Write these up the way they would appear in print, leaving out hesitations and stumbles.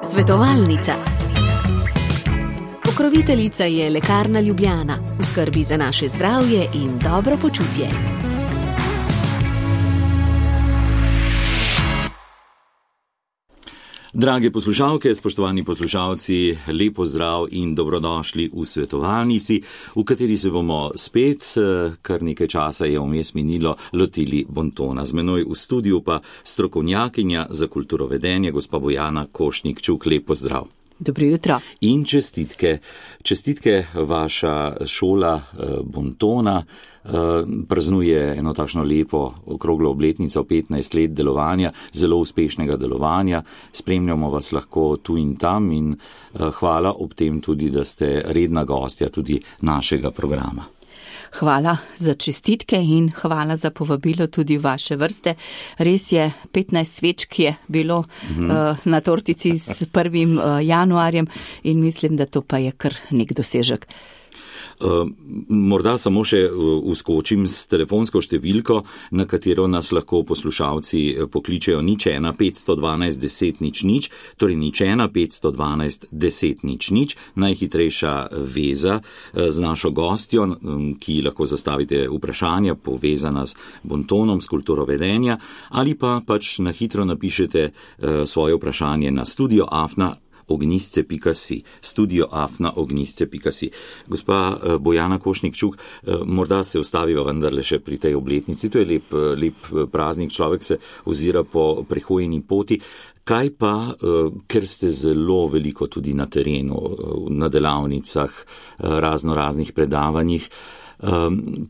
Svetovalnica. Pokroviteljica je Lekarna Ljubljana, v skrbi za naše zdravje in dobro počutje. Drage poslušalke, spoštovani poslušalci, lep pozdrav in dobrodošli v svetovalnici, v kateri se bomo spet, kar nekaj časa je vmes minilo, lotili bontona. Z menoj v studiu pa strokovnjakinja za kulturovedenje, gospa Bojana Košnik-Čuk. Lep pozdrav. Dobro jutro. In čestitke. Čestitke, vaša šola bontona praznuje eno takšno lepo okroglo obletnico, 15 let delovanja, zelo uspešnega delovanja. Spremljamo vas lahko tu in tam in hvala ob tem tudi, da ste redna gostja tudi našega programa. Hvala za čestitke in hvala za povabilo tudi v vaše vrste. Res je, 15 svečk je bilo na tortici s 1. januarjem in mislim, da to pa je kar nek dosežek. Morda samo še uskočim s telefonsko številko, na katero nas lahko poslušalci pokličejo 01 512 10 00, torej 01 512 10 00, najhitrejša veza z našo gostjo, ki lahko zastavite vprašanja povezana s bontonom, s kulturovedenja, ali pa pač na hitro napišete svoje vprašanje na studio@ognisce.si. Gospa Bojana Košnik-Čuk, morda se ostaviva vendarle še pri tej obletnici. To je lep praznik, človek se ozira po prehojeni poti. Kaj pa, ker ste zelo veliko tudi na terenu, na delavnicah, raznih predavanjih,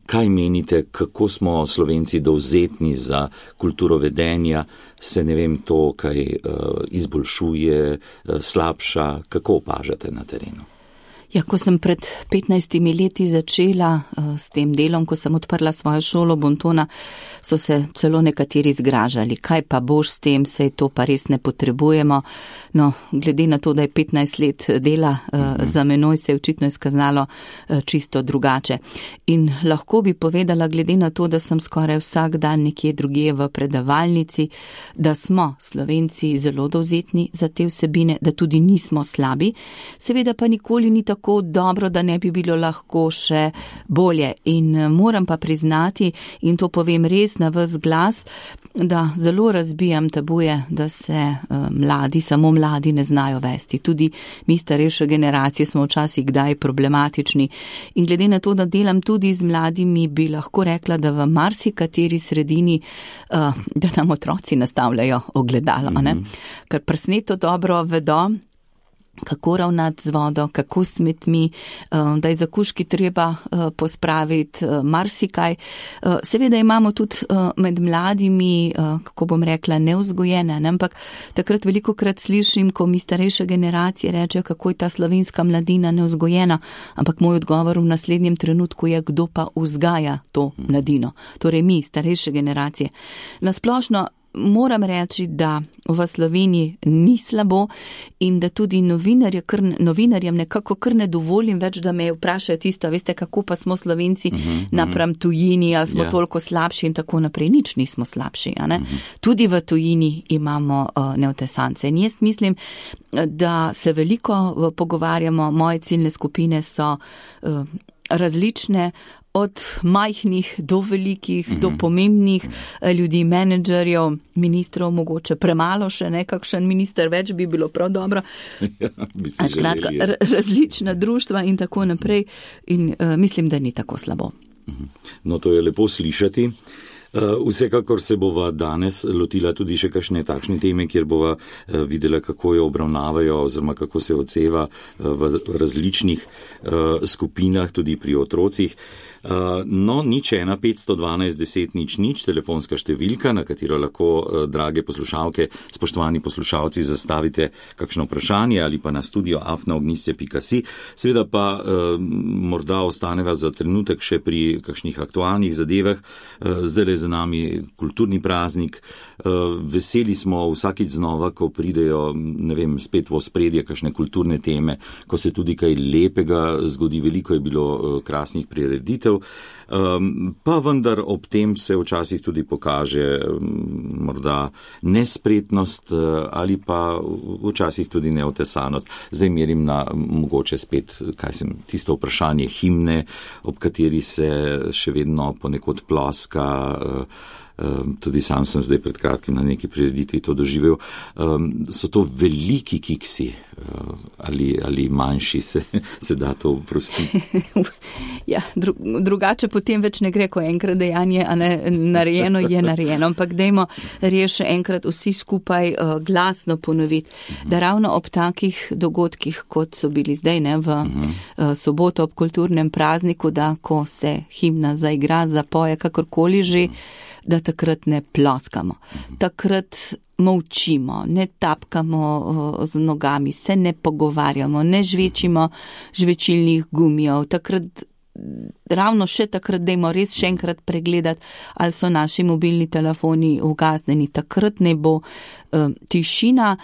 kaj menite, kako smo Slovenci dovzetni za kulturovedenja, se ne vem to, kaj izboljšuje, slabša, kako opažate na terenu? Ja, ko sem pred 15 leti začela s tem delom, ko sem odprla svojo šolo bontona, so se celo nekateri zgražali. Kaj pa boš s tem, saj to pa res ne potrebujemo. No, glede na to, da je 15 let dela za menoj, se je očitno izkazalo čisto drugače. In lahko bi povedala, glede na to, da sem skoraj vsak dan nekje drugje v predavalnici, da smo Slovenci zelo dovzetni za te vsebine, da tudi nismo slabi. Seveda pa nikoli ni tako dobro, da ne bi bilo lahko še bolje. In moram pa priznati, in to povem res na ves glas, da zelo razbijam tabuje, da se mladi, samo mladi ne znajo vesti. Tudi mi starejše generacije smo včasih kdaj problematični. In glede na to, da delam tudi z mladimi, bi lahko rekla, da v marsikateri sredini, da nam otroci nastavljajo ogledalo, ne? Ker presneto dobro vedo, kako ravnati z vodo, kako smetmi, da je za kužki treba pospraviti marsikaj. Seveda imamo tudi med mladimi, kako bom rekla, nevzgojene, ne? Ampak takrat velikokrat slišim, ko mi starejše generacije rečejo, kako je ta slovenska mladina nevzgojena, ampak moj odgovor v naslednjem trenutku je, kdo pa vzgaja to mladino. Torej mi, starejše generacije. Nasplošno moram reči, da v Sloveniji ni slabo in da tudi novinarjem nekako kar ne dovolim več, da me vprašajo tisto, veste, kako pa smo Slovenci napram tujini, ali smo toliko slabši in tako naprej. Nič nismo slabši, a ne? Tudi v tujini imamo neotesance. In jaz mislim, da se veliko pogovarjamo, moje ciljne skupine so različne, od majhnih do velikih, do pomembnih ljudi, menedžerjev, ministrov, mogoče premalo še, kakšen minister več bi bilo prav dobro. Skratka, različna društva in tako naprej in mislim, da ni tako slabo. No, to je lepo slišati. Vsekakor se bova danes lotila tudi še kakšne takšne teme, kjer bova videla, kako jo obravnavajo oziroma kako se odseva v različnih skupinah, tudi pri otrocih. No, 01 512 10 00, telefonska številka, na katero lahko, drage poslušalke, spoštovani poslušalci, zastavite kakšno vprašanje ali pa na studio@ognisce.si. Seveda pa morda ostaneva za trenutek še pri kakšnih aktualnih zadevah. Zdaj za nami kulturni praznik. Veseli smo vsakič znova, ko pridejo, ne vem, spet v ospredje kakšne kulturne teme, ko se tudi kaj lepega zgodi, veliko je bilo krasnih prireditev. Pa vendar ob tem se včasih tudi pokaže morda nespretnost ali pa včasih tudi neotesanost. Zdaj merim na mogoče spet, tisto vprašanje himne, ob kateri se še vedno ponekod ploska. Tudi sam sem zdaj pred kratkim na neki prireditvi to doživel. So to veliki kiksi ali manjši, se da to oprostiti? Ja, drugače potem več ne gre, ko enkrat dejanje, a ne, narejeno je narejeno, ampak dajmo res še enkrat vsi skupaj glasno ponoviti, da ravno ob takih dogodkih, kot so bili zdaj, ne, v soboto ob kulturnem prazniku, da ko se himna zaigra, zapoje, kakorkoli že, da takrat ne ploskamo. Takrat molčimo, ne tapkamo z nogami, se ne pogovarjamo, ne žvečimo žvečilnih gumijev. Takrat, ravno še takrat, dajmo res še enkrat pregledati, ali so naši mobilni telefoni ugasnjeni. Takrat ne bo tišina.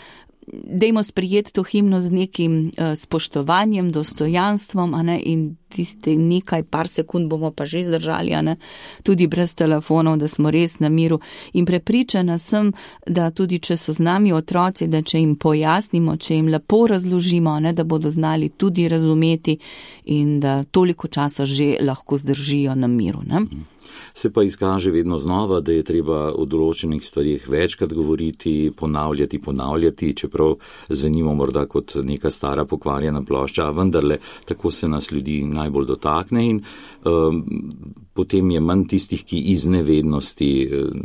Dajmo sprijeti to himno z nekim spoštovanjem, dostojanstvom, a ne, in tiste nekaj par sekund bomo pa že zdržali, a ne, tudi brez telefonov, da smo res na miru. In prepričana sem, da tudi če so z nami otroci, da če jim pojasnimo, če jim lepo razložimo, a ne, da bodo znali tudi razumeti in da toliko časa že lahko zdržijo na miru, ne. Se pa izkaže vedno znova, da je treba o določenih stvarih večkrat govoriti, ponavljati, čeprav zvenimo morda kot neka stara pokvarjena plošča, a vendarle tako se nas ljudi najbolj dotakne in potem je manj tistih, ki iz nevednosti,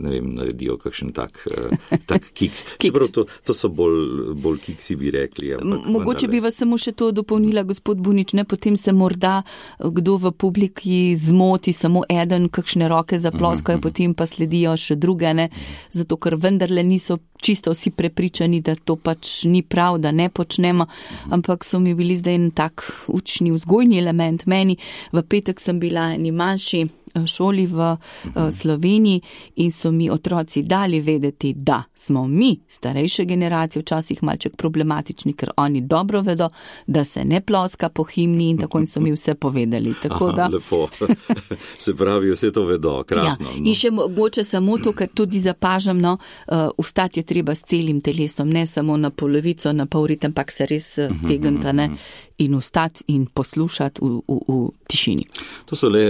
ne vem, naredijo kakšen tak kiks. Čeprav to so bolj kiksi, bi rekli. Mogoče bi vas samo še to dopolnila, gospod Bunič, ne, potem se morda kdo v publiki zmoti, samo eden, kakšne roke zaploskajo, potem pa sledijo še druge, ne, zato ker vendarle niso čisto vsi prepričani, da to pač ni prav, da ne počnemo, ampak so mi bili zdaj en tak učni, vzgojni element. Meni v petek sem bila eni manjši šoli v Sloveniji in so mi otroci dali vedeti, da smo mi, starejše generacije, včasih malček problematični, ker oni dobro vedo, da se ne ploska po himni in tako, in so mi vse povedali. Tako da... Lepo. Se pravi, vse to vedo, krasno. Ja. In še mogoče samo to, ker tudi zapažam, no, vstati je treba s celim telesom, ne samo na polovico, na pol ritem, ampak se res stegniti, ne, in vstati in poslušati v tišini. To so le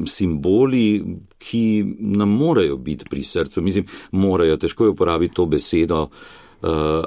simboli, ki nam morajo biti pri srcu. Mislim, morajo, težko je uporabiti to besedo,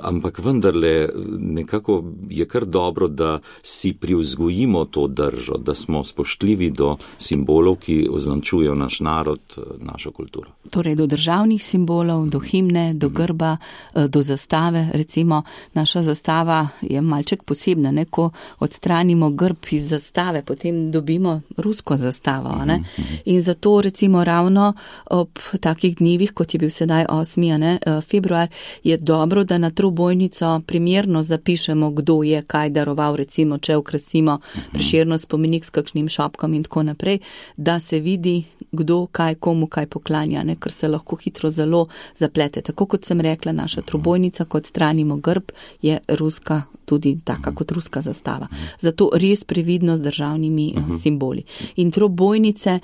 ampak vendarle nekako je kar dobro, da si privzgojimo to držo, da smo spoštljivi do simbolov, ki označujejo naš narod, našo kulturo. Torej do državnih simbolov, do himne, do grba, do zastave. Recimo naša zastava je malček posebna, ne? Ko odstranimo grb iz zastave, potem dobimo rusko zastavo. Ne? In zato recimo ravno ob takih dnevih, kot je bil sedaj 8. Februar, je dobro, da na trobojnico primerno zapišemo, kdo je kaj daroval, recimo, če okrasimo Prešernov spomenik s kakšnim šopkom in tako naprej, da se vidi, kdo kaj, komu kaj poklanja, ne? Ker se lahko hitro zelo zaplete. Tako kot sem rekla, naša trobojnica, kot stranimo grb, je ruska, tudi taka kot ruska zastava. Zato res previdno z državnimi simboli. In trobojnice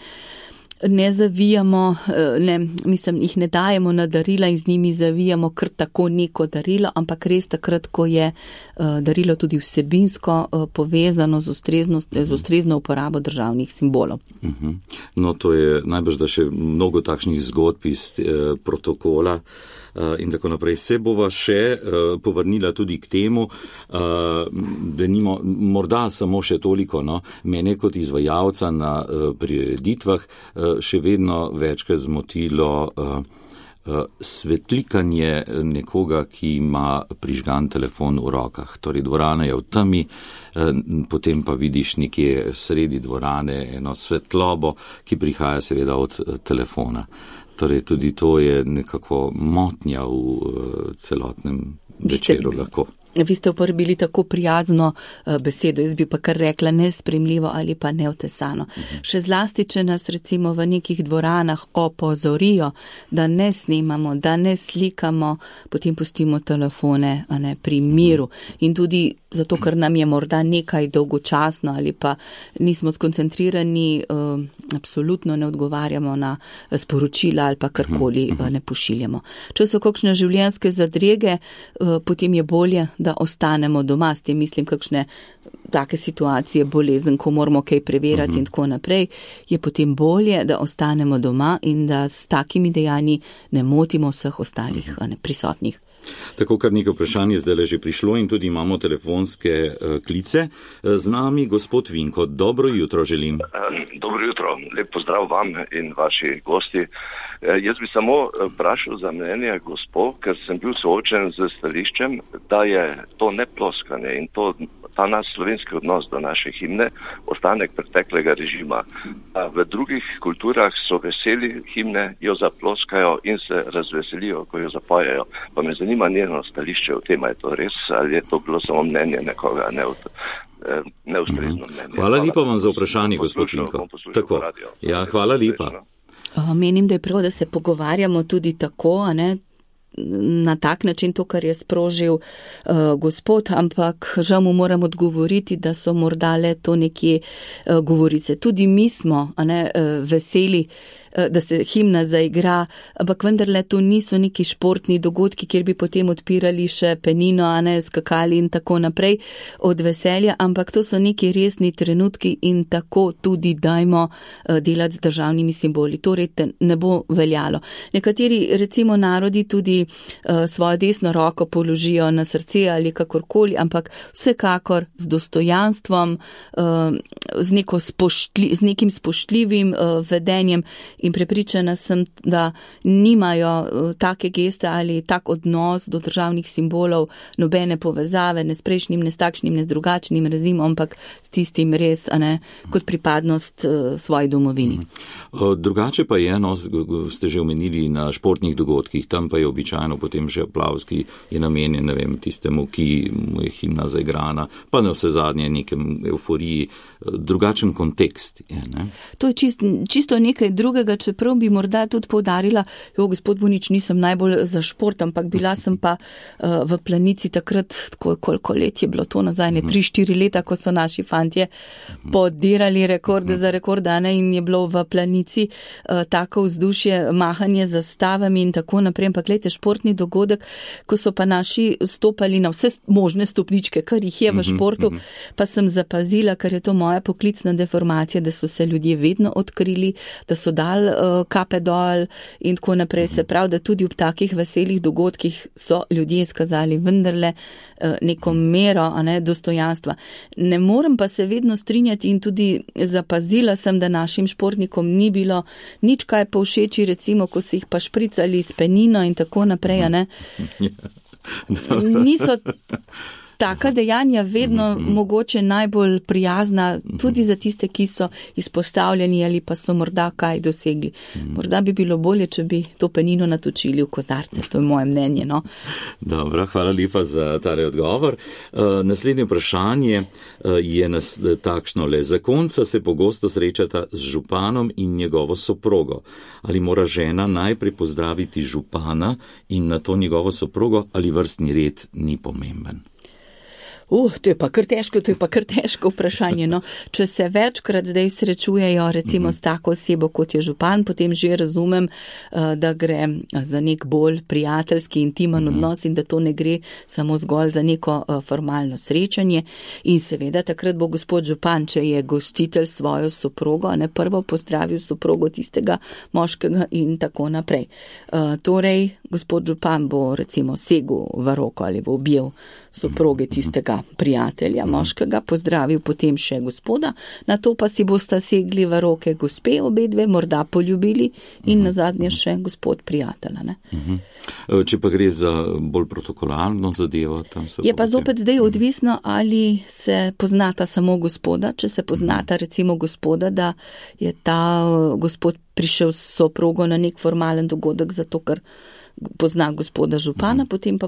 ne zavijamo, jih ne dajemo na darila in z njimi zavijamo kar tako neko darilo, ampak res takrat, ko je darilo tudi vsebinsko povezano z ustrezno uporabo državnih simbolov. No, to je najbrž, da še mnogo takšnih zgodb iz protokola in tako naprej. Se bova še povrnila tudi k temu, da nimo, morda samo še toliko, no, mene kot izvajalca na prireditvah še vedno večkrat zmotilo svetlikanje nekoga, ki ima prižgan telefon v rokah. Torej, dvorana je v temi, potem pa vidiš nekje sredi dvorane eno svetlobo, ki prihaja seveda od telefona. Torej, tudi to je nekako motnja v celotnem večeru lahko. Vi ste uporabili tako prijazno besedo, jaz bi pa kar rekla nespremljivo ali pa neotesano. Še zlasti, če nas recimo v nekih dvoranah opozorijo, da ne snemamo, da ne slikamo, potem pustimo telefone pri miru. In tudi zato, ker nam je morda nekaj dolgočasno ali pa nismo skoncentrirani, absolutno ne odgovarjamo na sporočila ali pa karkoli ne pošiljamo. Če so kakšne življenjske zadrege, potem je bolje, da ostanemo doma. S tem mislim kakšne take situacije, bolezen, ko moramo kaj preverjati in tako naprej, je potem bolje, da ostanemo doma in da s takimi dejanji ne motimo vseh ostalih prisotnih. Tako, kar nekaj vprašanje zdaj že prišlo in tudi imamo telefonske klice. Z nami gospod Vinko, dobro jutro želim. Dobro jutro, lep pozdrav vam in vaši gosti. Jaz bi samo vprašal za mnenje gospo, ker sem bil soočen z stališčem, da je to neploskanje in ta naš slovenski odnos do naše himne ostanek preteklega režima. V drugih kulturah so veseli himne, jo zaploskajo in se razveselijo, ko jo zapojejo. Pa me zanima njeno stališče o tem, je to res ali je to bilo samo mnenje nekoga, neustrezno mnenje. Hvala lepa vam za vprašanje, gospod Vinko. Tako. Ja, hvala lepa. Menim, da je prav, da se pogovarjamo tudi tako, na tak način to, kar je sprožil gospod, ampak žal mu moram odgovoriti, da so morda le to nekje govorice. Tudi mi smo veseli, da se himna zaigra, ampak vendarle to niso neki športni dogodki, kjer bi potem odpirali še penino, skakali in tako naprej od veselja, ampak to so neki resni trenutki in tako tudi dajmo delati z državnimi simboli. Torej ne bo veljalo. Nekateri recimo narodi tudi svojo desno roko položijo na srce ali kakorkoli, ampak vsekakor z dostojanstvom, z nekim spoštljivim vedenjem. In prepričana sem, da nimajo take geste ali tak odnos do državnih simbolov, nobene povezave, ne s prejšnjim, ne s takšnim, ne s drugačnim rezimom, ampak s tistim res, kot pripadnost svoji domovini. Drugače pa je, ste že omenili na športnih dogodkih, tam pa je običajno potem že aplavz, ki je namenjen, ne vem, tistemu, ki mu je himna zaigrana, pa na vse zadnje nekem euforiji, drugačen kontekst je, ne? To je čisto nekaj drugega, čeprav bi morda tudi poudarila, gospod Bonič, nisem najbolj za šport, ampak bila sem pa v Planici takrat, koliko let je bilo to nazaj, 3-4 leta, ko so naši fantje podirali rekorde za rekordane in je bilo v Planici tako vzdušje, mahanje za stavami in tako naprej, ampak gledajte, športni dogodek, ko so pa naši stopali na vse možne stopničke, kar jih je v športu, pa sem zapazila, ker je to moja poklicna deformacija, da so se ljudje vedno odkrili, da so dali kape dol in tako naprej. Se pravi, da tudi ob takih veselih dogodkih so ljudje izkazali vendarle neko mero, dostojanstva. Ne morem pa se vedno strinjati in tudi zapazila sem, da našim športnikom ni bilo nič kaj povšeči, recimo, ko so jih pa špricali s penino in tako naprej, Niso taka dejanja vedno mogoče najbolj prijazna, tudi za tiste, ki so izpostavljeni ali pa so morda kaj dosegli. Morda bi bilo bolje, če bi to penino natočili v kozarce, to je moje mnenje. Dobro, hvala lepa za tale odgovor. Naslednje vprašanje je takšno le. Zakonca se pogosto srečata z županom in njegovo soprogo. Ali mora žena najprej pozdraviti župana in nato njegovo soprogo, ali vrstni red ni pomemben? To je pa kar težko vprašanje. Če se večkrat zdaj srečujejo recimo s tako osebo, kot je župan, potem že razumem, da gre za nek bolj prijateljski, intimen odnos in da to ne gre samo zgolj za neko formalno srečanje. In seveda takrat bo gospod župan, če je gostitelj svojo soprogo, prvo pozdravil soprogo tistega moškega in tako naprej. Torej, gospod župan bo recimo segel v roko ali bo objel soproge tistega prijatelja moškega, pozdravil potem še gospoda, nato pa si bosta segli v roke gospe obedve, morda poljubili in nazadnje še gospod prijatelja. Če pa gre za bolj protokolarno zadevo, tam se je pa zopet zdaj odvisno, ali se poznata samo gospoda, če se poznata recimo gospoda, da je ta gospod prišel s soprogo na nek formalen dogodek, zato ker pozna gospoda župana, potem pa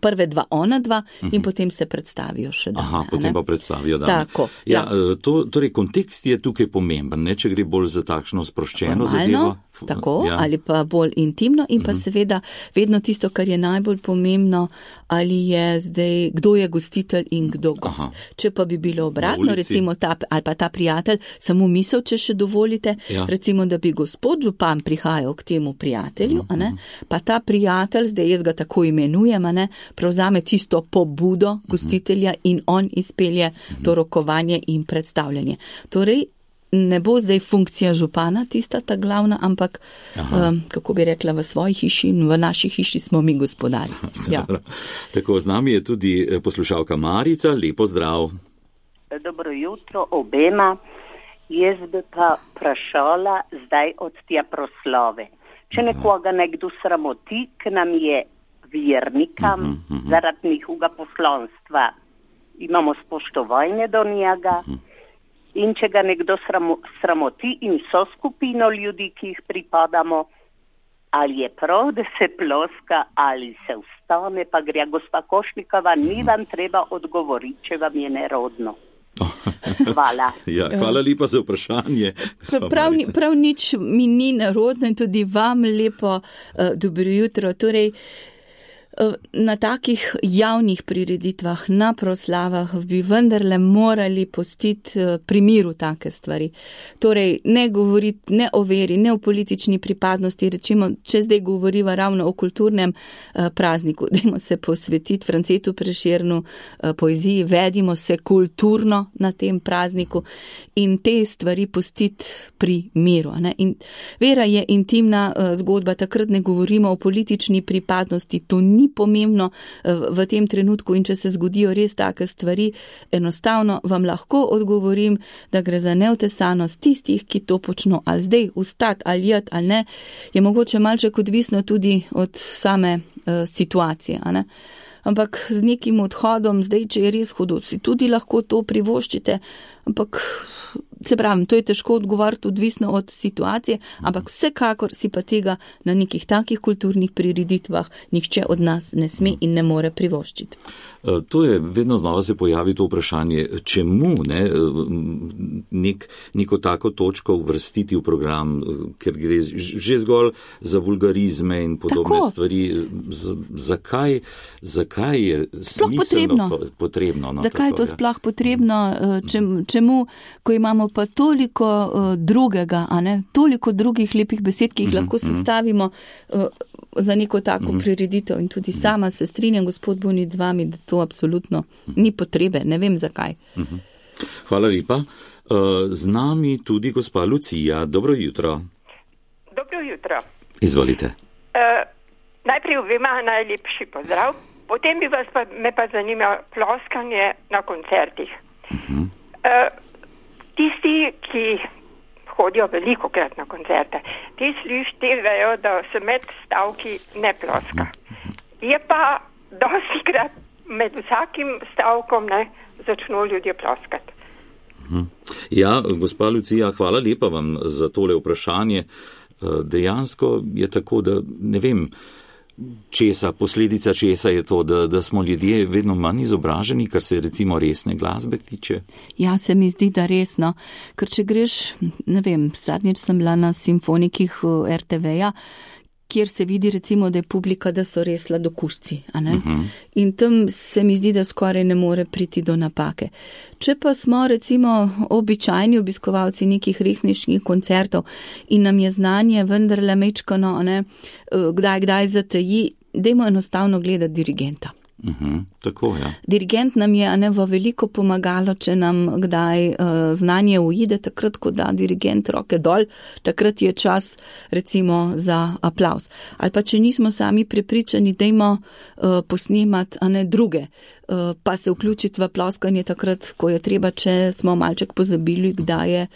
prve dva ona dva in potem se predstavijo še dame. Aha, potem pa predstavijo dame. Tako, ja. Torej, kontekst je tukaj pomemben, ne, če gre bolj za takšno sproščeno zadevo. Tako, ali pa bolj intimno in pa seveda vedno tisto, kar je najbolj pomembno, ali je zdaj, kdo je gostitelj in kdo gost. Če pa bi bilo obratno, recimo ali pa ta prijatelj, samo misel, če še dovolite, recimo, da bi gospod župan prihajal k temu prijatelju, pa ta prijatelj, zdaj jaz ga tako imenujem, prevzame tisto pobudo gostitelja in on izpelje to rokovanje in predstavljanje. Torej, ne bo zdaj funkcija župana tista ta glavna, ampak, kako bi rekla, v svoji hiši in v naši hiši smo mi gospodari. Ja. Tako, z nami je tudi poslušalka Marica, lepo zdrav. Dobro jutro obema. Jaz bi pa vprašala zdaj od tja proslove. Če nekoga nekdo sramoti, k nam je vernikam zaradi njihovega poslanstva, imamo spoštovanje do njega, in če ga nekdo sramoti in so skupino ljudi, ki jih pripadamo, ali je prav, da se ploska, ali se vstane, pa gre. Gospa Košnikova, ni vam treba odgovoriti, če vam je nerodno. Hvala. Ja, hvala lepa za vprašanje. Prav nič mi ni nerodno in tudi vam lepo dobro jutro. Torej, na takih javnih prireditvah, na proslavah bi vendarle morali pustiti pri miru take stvari. Torej, ne govoriti ne o veri, ne o politični pripadnosti, rečemo, če zdaj govoriva ravno o kulturnem prazniku, dajmo se posvetiti Francetu Prešernu poeziji, vedimo se kulturno na tem prazniku in te stvari pustiti pri miru. In vera je intimna zgodba, takrat ne govorimo o politični pripadnosti, to ni pomembno v tem trenutku in če se zgodijo res take stvari, enostavno vam lahko odgovorim, da gre za neotesanost tistih, ki to počno, ali zdaj ustati, ali jed, ali ne, je mogoče malček odvisno tudi od same situacije, ne? Ampak z nekim odhodom, zdaj, če je res hudo, si tudi lahko to privoščite, ampak se pravim, to je težko odgovoriti, odvisno od situacije, ampak vsekakor si pa tega na nekih takih kulturnih prireditvah nihče od nas ne sme in ne more privoščiti. To je, vedno znova se pojavi to vprašanje, čemu neko tako točko uvrstiti v program, ker gre že zgolj za vulgarizme in podobne stvari. Zakaj je smiselno potrebno? Zakaj je to sploh potrebno? Čemu, ko imamo pa toliko drugega, toliko drugih lepih besed, ki jih lahko sestavimo za neko tako prireditev in tudi sama se strinjam, gospod Bonit, z vami, da to absolutno ni potrebe, ne vem zakaj. Hvala lepa. Z nami tudi gospa Lucija. Dobro jutro. Dobro jutro. Izvolite. Najprej obema najlepši pozdrav, potem bi me pa zanima ploskanje na koncertih. Tisti, ki hodijo veliko krat na koncerte, ti vejo, da se med stavki ne ploska. Je pa dosti krat med vsakim stavkom začno ljudje ploskati. Ja, gospa Lucija, hvala lepa vam za tole vprašanje. Dejansko je tako, da ne vem, posledica česa je to, da smo ljudje vedno manj izobraženi, kar se recimo resne glasbe tiče? Ja, se mi zdi, da resno, ker če greš, ne vem, zadnjič sem bila na simfonikih RTV-ja, kjer se vidi recimo, da je publika, da so res sladokušci, in tam se mi zdi, da skoraj ne more priti do napake. Če pa smo recimo običajni obiskovalci nekih resničnih koncertov in nam je znanje vendarle mečkano, kdaj zateji, dajmo enostavno gledati dirigenta. Tako, ja. Dirigent nam je v veliko pomagalo, če nam kdaj znanje uide, takrat, ko da dirigent roke dol, takrat je čas recimo za aplavz. Ali pa če nismo sami prepričani, dajmo posnemati druge, pa se vključiti v ploskanje takrat, ko je treba, če smo malček pozabili, kdaj je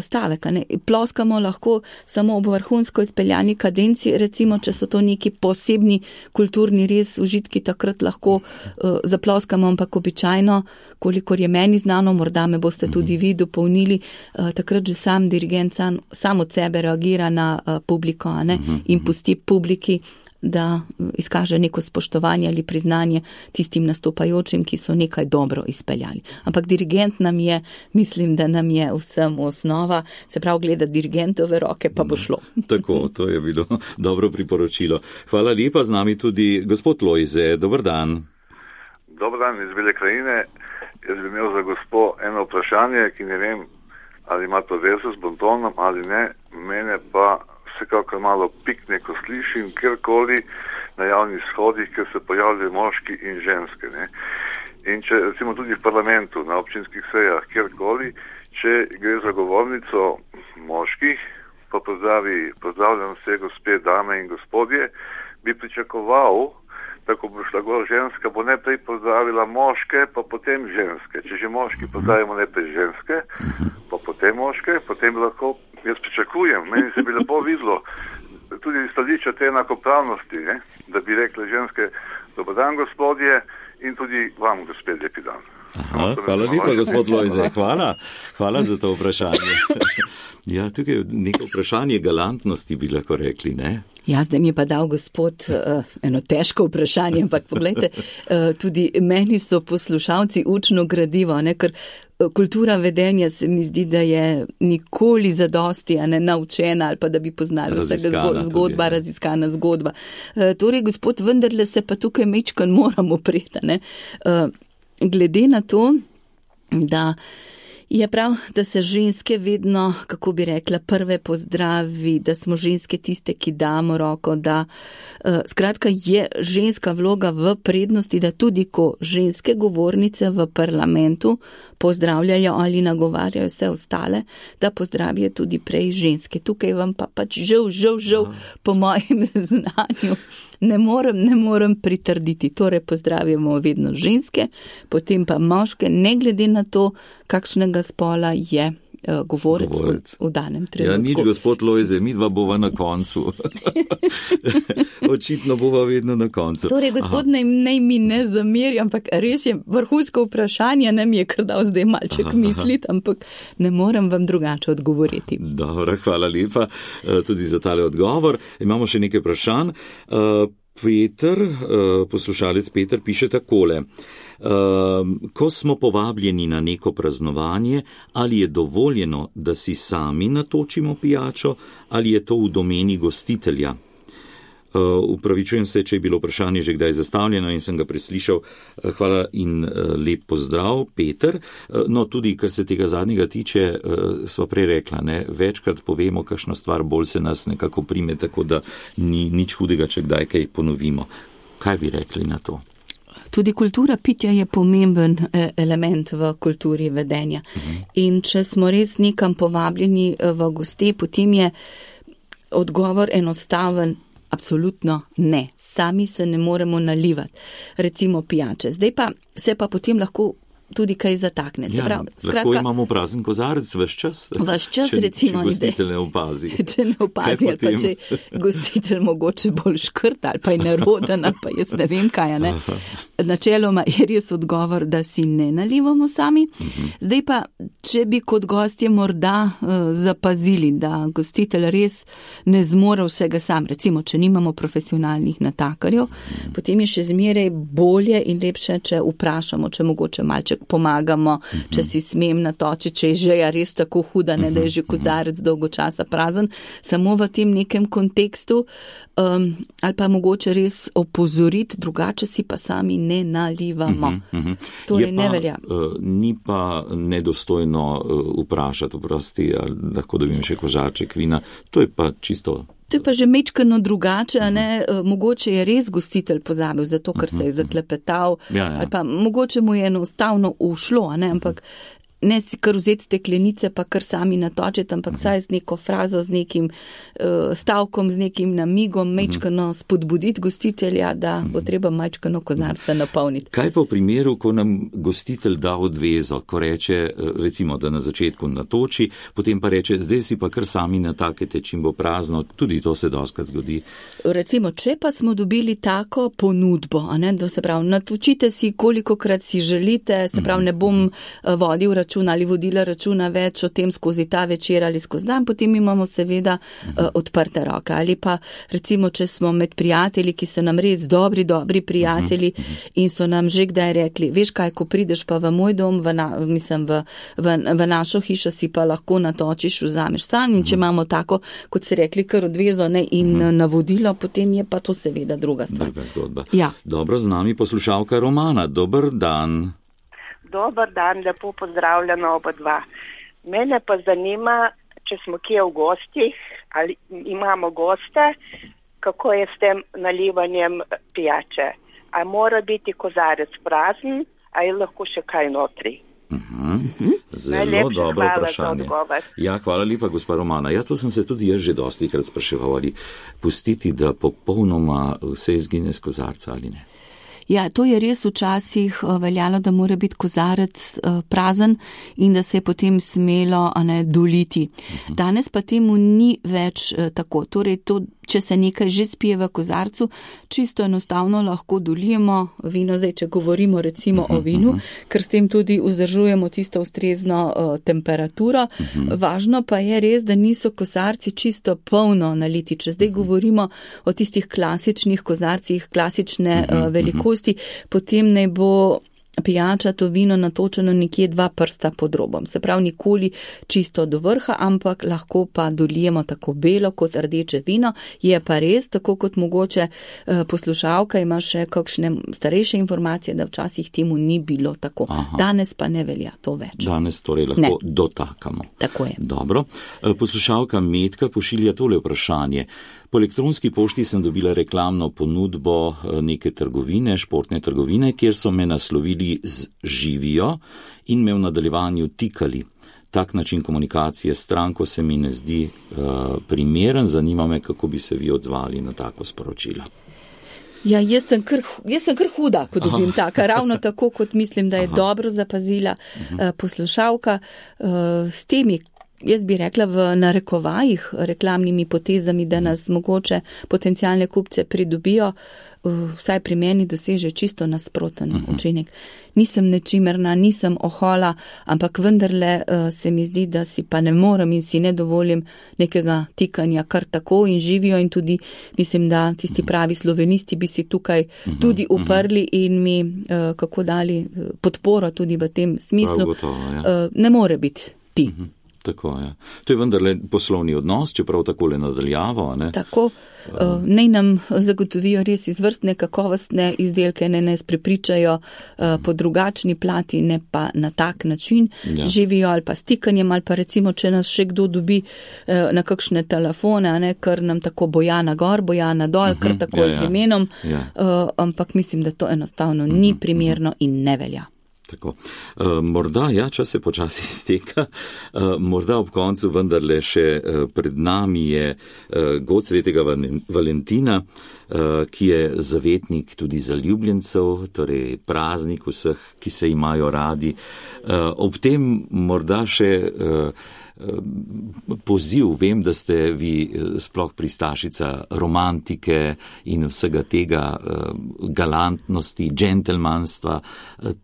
stavek. Ploskamo lahko samo ob vrhunsko izpeljani kadenci, recimo, če so to neki posebni kulturni res užitki, takrat lahko zaploskamo, ampak običajno, kolikor je meni znano, morda me boste tudi vi dopolnili, takrat že sam dirigent sam od sebe reagira na publiko, in pusti publiki da izkaže neko spoštovanje ali priznanje tistim nastopajočim, ki so nekaj dobro izpeljali. Ampak dirigent nam je, mislim, da nam je vsem osnova, se pravi gledati dirigentove roke, pa bo šlo. Tako, to je bilo dobro priporočilo. Hvala lepa, z nami tudi gospod Lojze. Dober dan. Dober dan iz Bele krajine. Jaz bi imel za gospo eno vprašanje, ki ne vem, ali ima to vezo s bontonom ali ne. Mene pa vsekakor malo pikne, ko slišim kjerkoli na javnih shodih, ker se pojavljajo moški in ženske. Ne? In če recimo tudi v parlamentu, na občinskih sejah, kjerkoli, če gre za govornico moških, pa pozdravljam vse gospe, dame in gospodje, bi pričakoval, da ko bo šla gor ženska, bo najprej pozdravila moške, pa potem ženske. Če že moški pozdravimo najprej ženske, pa potem moške, potem lahko, jaz pričakujem, meni se bi lepo videlo, tudi stališča te enakopravnosti, ne? Da bi rekli ženske, dober dan gospodje, in tudi vam gospod lepi dan. Aha, hvala lepa, gospod Lojze, hvala za to vprašanje. Ja, tukaj je neko vprašanje galantnosti, bi lahko rekli, ne? Ja, zdaj mi je pa dal gospod eno težko vprašanje, ampak pogledajte, tudi meni so poslušalci učno gradivo, ne, ker kultura vedenja se mi zdi, da je nikoli zadosti, a ne naučena ali pa da bi poznali vsega zgodba, raziskana zgodba. Torej, gospod, vendarle se pa tukaj mečkan moramo preti, ne. Glede na to, da je prav, da se ženske vedno, kako bi rekla, prve pozdravi, da smo ženske tiste, ki damo roko, da skratka je ženska vloga v prednosti, da tudi ko ženske govornice v parlamentu pozdravljajo ali nagovarjajo vse ostale, da pozdravijo tudi prej ženske. Tukaj vam pa pač žal, po mojem znanju ne morem pritrditi. Torej pozdravimo vedno ženske, potem pa moške, ne glede na to, kakšnega spola je govorec v danem trenutku. Ja, nič, gospod Lojze, mi dva bova na koncu. Očitno bova vedno na koncu. Torej, gospod, naj mi ne zameri, ampak res je vrhunsko vprašanje, ne mi je kar dal zdaj malček misliti, ampak ne morem vam drugače odgovoriti. Dobro, hvala lepa tudi za tale odgovor. Imamo še nekaj vprašanj. Poslušalec Peter piše takole. Ko smo povabljeni na neko praznovanje, ali je dovoljeno, da si sami natočimo pijačo, ali je to v domeni gostitelja? Upravičujem se, če je bilo vprašanje že kdaj zastavljeno in sem ga preslišal. Hvala in lep pozdrav, Peter. No, tudi, kar se tega zadnjega tiče, sva prej rekla, ne, večkrat povemo, kakšno stvar, bolj se nas nekako prime, tako da ni nič hudega, če kdaj kaj ponovimo. Kaj bi rekli na to? Tudi kultura pitja je pomemben element v kulturi vedenja. In če smo res nekam povabljeni v goste, potem je odgovor enostaven. Absolutno ne. Sami se ne moremo nalivati. Recimo pijače. Zdaj pa se pa potem lahko tudi kaj zatakne. Lahko imamo prazen kozarec ves čas, recimo, če gostitelj ne opazi. Če ne opazi, ali pa če gostitelj mogoče bolj škrt, ali pa je neroden, ali pa jaz ne vem kaj. Ne? Načeloma je res odgovor, da si ne nalivamo sami. Zdaj pa, če bi kot gostje morda zapazili, da gostitelj res ne zmore vsega sam, recimo, če nimamo profesionalnih natakarjev, potem je še zmeraj bolje in lepše, če vprašamo, če mogoče malček pomagamo, če si smem natočiti, če je žeja res tako huda, ne, da je že kozarec dolgo časa prazen, samo v tem nekem kontekstu, ali pa mogoče res opozoriti, drugače si pa sami ne nalivamo. Torej ne velja. Ni pa nedostojno vprašati, oprosti, ali lahko dobim še kožarček vina, to je pa čisto. To je pa že mečkano drugače, ne? Mogoče je res gostitelj pozabil, zato ker se je zaklepetal, ali pa mogoče mu je enostavno ušlo, ne? Ampak ne si kar vzeti steklenice, pa kar sami natočiti, ampak saj z neko frazo, z nekim stavkom, z nekim namigom, mečkano spodbuditi gostitelja, da bo treba mečkano kozarca napolniti. Kaj pa v primeru, ko nam gostitelj da odvezo, ko reče, recimo, da na začetku natoči, potem pa reče, zdaj si pa kar sami natakete, čim bo prazno, tudi to se dostakrat zgodi. Recimo, če pa smo dobili tako ponudbo, a ne, da se pravi, natočite si, kolikokrat si želite, se pravi, ne bom vodil računa, računa ali vodila računa več o tem skozi ta večer ali skozi dan, potem imamo seveda odprte roke. Ali pa recimo, če smo med prijatelji, ki so nam res dobri prijatelji in so nam že kdaj rekli, veš kaj, ko prideš pa v moj dom, v našo hišo si pa lahko natočiš, vzameš stan in če imamo tako, kot se rekli, kar odvezo in navodilo, potem je pa to seveda druga stvar. Druga zgodba. Ja. Dobro, z nami poslušalka Romana. Dober dan. Dober dan, lepo pozdravljeno oba dva. Mene pa zanima, če smo kje v gostih, ali imamo goste, kako je s tem nalivanjem pijače. A mora biti kozarec prazen, a je lahko še kaj notri? Zelo dobro vprašanje. Ja, hvala lepa, gospa Romana. Ja, to sem se tudi jaz že dostikrat spraševal, ali pustiti, da popolnoma vse izgine z kozarca ali ne. Ja, to je res včasih veljalo, da mora biti kozarec prazen in da se je potem smelo doliti. Danes pa temu ni več tako. Torej, če se nekaj že spije v kozarcu, čisto enostavno lahko dolijemo vino, zdaj, če govorimo recimo o vinu, ker s tem tudi vzdržujemo tisto ustrezno temperaturo. Važno pa je res, da niso kozarci čisto polno naliti. Če zdaj govorimo o tistih klasičnih kozarcih, klasične velikosti, potem naj bo pijača, to vino natočeno nekje 2 prsta pod robom. Se pravi, nikoli čisto do vrha, ampak lahko pa dolijemo tako belo kot rdeče vino. Je pa res, tako kot mogoče poslušalka ima še kakšne starejše informacije, da včasih temu ni bilo tako. Danes pa ne velja to več. Danes torej lahko dotakamo. Tako je. Dobro. Poslušalka Metka pošilja tole vprašanje. Po elektronski pošti sem dobila reklamno ponudbo neke trgovine, športne trgovine, kjer so me naslovili z živijo in me v nadaljevanju tikali. Tak način komunikacije s stranko se mi ne zdi primeren. Zanima me, kako bi se vi odzvali na tako sporočilo. Ja, jaz sem kar huda, ko dobim taka. Ravno tako, kot mislim, da je dobro zapazila poslušalka s temi, jaz bi rekla v narekovajih, reklamnimi potezami, da nas mogoče potencialne kupce pridobijo, vsaj pri meni doseže čisto nasproten učinek. Nisem nečimerna, nisem ohola, ampak vendarle se mi zdi, da si pa ne morem in si ne dovolim nekega tikanja kar tako in živijo in tudi mislim, da tisti pravi slovenisti bi si tukaj tudi uprli in mi kako dali podporo tudi v tem smislu. Gotovo, ja. Ne more biti ti. Tako je. To je vendarle poslovni odnos, čeprav takole nadaljavo, ne? Tako, naj nam zagotovijo res izvrstne, kakovostne izdelke, ne nas prepričajo po drugačni plati, ne pa na tak način živijo ali pa stikanjem, ali pa recimo, če nas še kdo dobi na kakšne telefone, ne, kar nam tako Bojana gor, Bojana dol, kar tako z imenom, ampak mislim, da to enostavno ni primerno in ne velja. Tako. Morda, čas se počasi izteka, morda ob koncu vendarle še pred nami je god svetega Valentina, ki je zavetnik tudi zaljubljencev, torej praznik vseh, ki se imajo radi. Ob tem morda še poziv, vem, da ste vi sploh pristašica romantike in vsega tega galantnosti, džentelmanstva.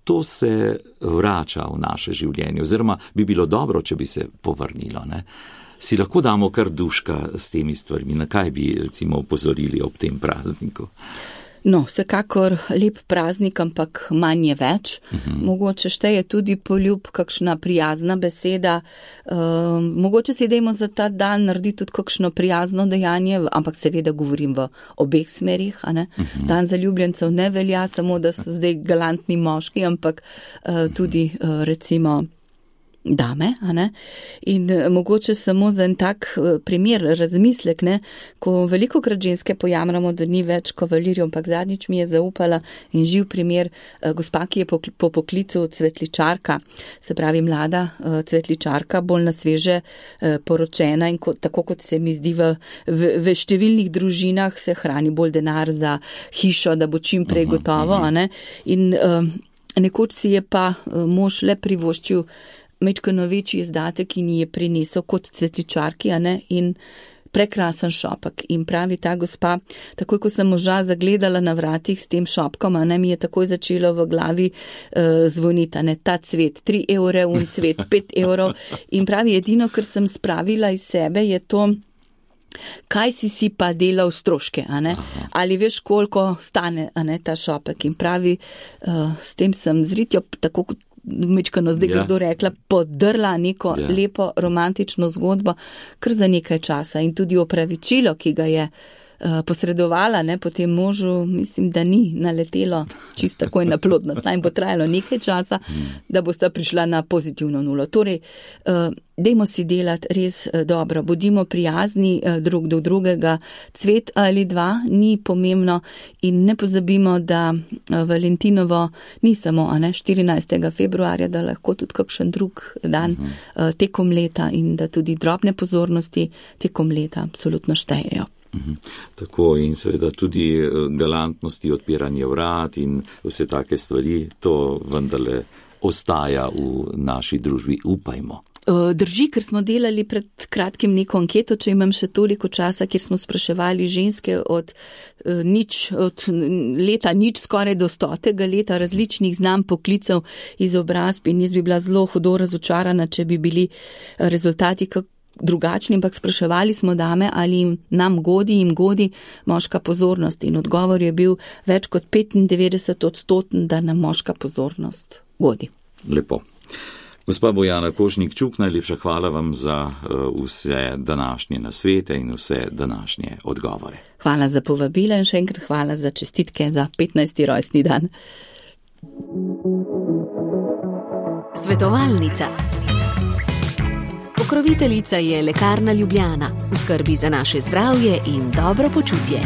To se vrača v naše življenje, oziroma bi bilo dobro, če bi se povrnilo, ne? Si lahko damo kar duška s temi stvarmi, na kaj bi recimo opozorili ob tem prazniku? No, vsekakor lep praznik, ampak manj je več. Mogoče šteje tudi poljub, kakšna prijazna beseda. Mogoče si dajmo za ta dan narediti tudi kakšno prijazno dejanje, ampak seveda govorim v obeh smerih. Dan zaljubljencev ne velja samo, da so zdaj galantni moški, ampak tudi recimo dame, in mogoče samo za en tak primer, razmislek, ne, ko velikokrat ženske pojamramo, da ni več kavalirjev, ampak zadnjič mi je zaupala in živ primer gospa, ki je po poklicu cvetličarka, se pravi mlada cvetličarka, bolj na sveže poročena in tako kot se mi zdi v številnih družinah se hrani bolj denar za hišo, da bo čim prej gotovo, in nekoč si je pa mož le privoščil mečkano večji izdatek in ji je prinesel kot cvetličarki, in prekrasen šopek in pravi ta gospa, takoj ko sem moža zagledala na vratih s tem šopkom, mi je takoj začelo v glavi zvoniti, ta cvet, 3 evre, cvet, 5 evrov in pravi, edino, kar sem spravila iz sebe, je to, kaj si pa delal stroške, ali veš, koliko stane ta šopek in pravi, s tem sem zritjo, tako kot mečkano zdaj kdo rekla, podrla neko lepo romantično zgodbo, kar za nekaj časa in tudi opravičilo, ki ga je posredovala, potem možu, mislim, da ni naletelo čisto takoj na plodno tla in bo trajalo nekaj časa, da bosta prišla na pozitivno nulo. Torej, dajmo si delati res dobro, bodimo prijazni drug do drugega, cvet ali 2 ni pomembno in ne pozabimo, da Valentinovo ni samo 14. februarja, da lahko tudi kakšen drug dan tekom leta in da tudi drobne pozornosti tekom leta absolutno štejejo. Tako in seveda tudi galantnosti, odpiranje vrat in vse take stvari, to vendarle ostaja v naši družbi, upajmo. Drži, ker smo delali pred kratkim neko anketo, če imam še toliko časa, kjer smo spraševali ženske od leta nič skoraj do 100. leta različnih znamk poklicev, izobrazb in jaz bi bila zelo hudo razočarana, če bi bili rezultati drugačni, ampak spraševali smo dame, ali nam jim godi moška pozornost in odgovor je bil več kot 95%, da nam moška pozornost godi. Lepo. Gospa Bojana Košnik-Čuk, najlepša hvala vam za vse današnje nasvete in vse današnje odgovore. Hvala za povabila in še enkrat hvala za čestitke za 15. rojstni dan. Svetovalnica. Pokroviteljica je Lekarna Ljubljana, v skrbi za naše zdravje in dobro počutje.